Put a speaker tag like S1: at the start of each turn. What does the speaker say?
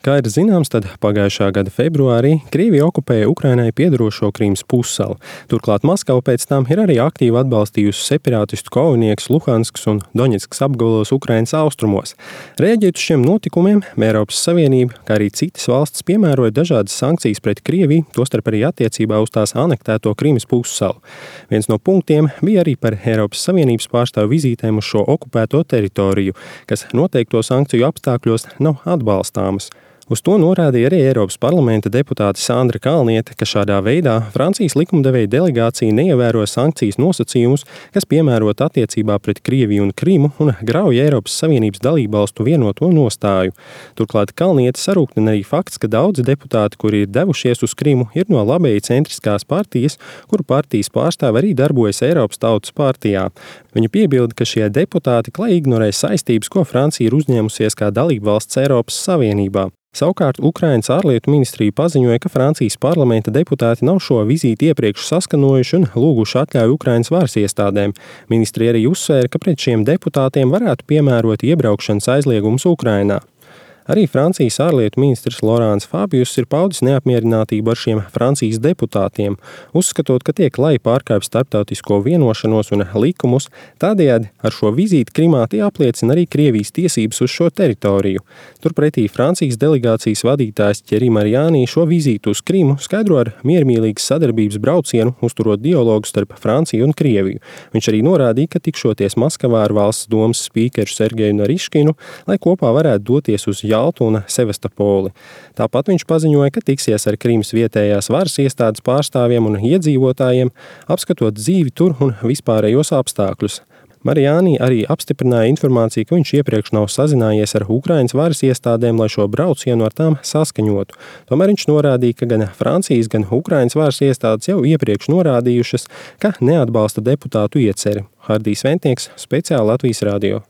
S1: Kā ir zināms, tad pagājušā gada februārī Krievija okupēja Ukrainai piederošo Krīmas pussalu. Turklāt Maskava pēc tam ir arī aktīvi atbalstījusi separātistu kaujiniekus Luhanskas un Doņetskas apgabalos Ukrainas austrumos. Reaģēt uz šiem notikumiem, Eiropas Savienība, kā arī citas valstis piemēroja dažādas sankcijas pret Krieviju, tostarp arī attiecībā uz tās anektēto Krīmas pussalu. Viens no punktiem bija arī par Eiropas Savienības pārstāvu vizītēm uz šo okupēto teritoriju, kas noteikto sankciju apstākļos nav atbalstāmas. Uz to norādīja arī Eiropas parlamenta deputāte Sandra Kalniete, ka šādā veidā Francijas likumdevēja delegācija neievēro sankcijas nosacījumus, kas piemērot attiecībā pret Krieviju un Krimu un grauj Eiropas Savienības dalībvalstu vienoto nostāju. Turklāt Kalniete sarūktina arī fakts, ka daudzi deputāti, kuri ir devušies uz Krimu, ir no labēji centriskās partijas, kuru partijas pārstāvi arī darbojas Eiropas Tautas partijā. Viņa piebilda, ka šie deputāti klajīgi ignorē saistības, ko Francija ir uzņēmusies kā dalībvalsts Eiropas Savienībā. Savukārt Ukrainas ārlietu ministrija paziņoja, ka Francijas parlamenta deputāti nav šo vizīti iepriekš saskanojuši un lūguši atļauju Ukrainas varas iestādēm. Ministrija arī uzsvēra, ka pret šiem deputātiem varētu piemērot iebraukšanas aizliegumus Ukrainā. Arī Francijas ārlietu ministrs Laurents Fabius ir paudis neapmierinātību ar šiem Francijas deputātiem, uzskatot, ka tiek lai pārkāpj starptautisko vienošanos un likumus, tādējādi ar šo vizīti Krimā tie apliecina arī Krievijas tiesības uz šo teritoriju. Turpretī Francijas delegācijas vadītājs Thierry Mariani šo vizītu uz Krimu skaidro ar miermīlīgas sadarbības braucienu, uzturot dialogu starp Franciju un Krieviju. Viņš arī norādīja, ka tikšoties Maskavā ar valsts domas spīkeru Sergeju Nariškinu, lai kopā varētu doties uz Jaltu un Sevastopoli. Tāpat viņš paziņoja, ka tiksies ar Krimas vietējās varas iestādes pārstāvjiem un iedzīvotājiem, apskatot dzīvi tur un vispārējos apstākļus. Mariani arī apstiprināja informāciju, ka viņš iepriekš nav sazinājies ar Ukrainas varas iestādēm, lai šo braucienu ar tām saskaņotu. Tomēr viņš norādīja, ka gan Francijas, gan Ukrainas varas iestādes jau iepriekš norādījušas, ka neatbalsta deputātu ieceri. Hardijs Ventnieks, speciāli Latvijas radio.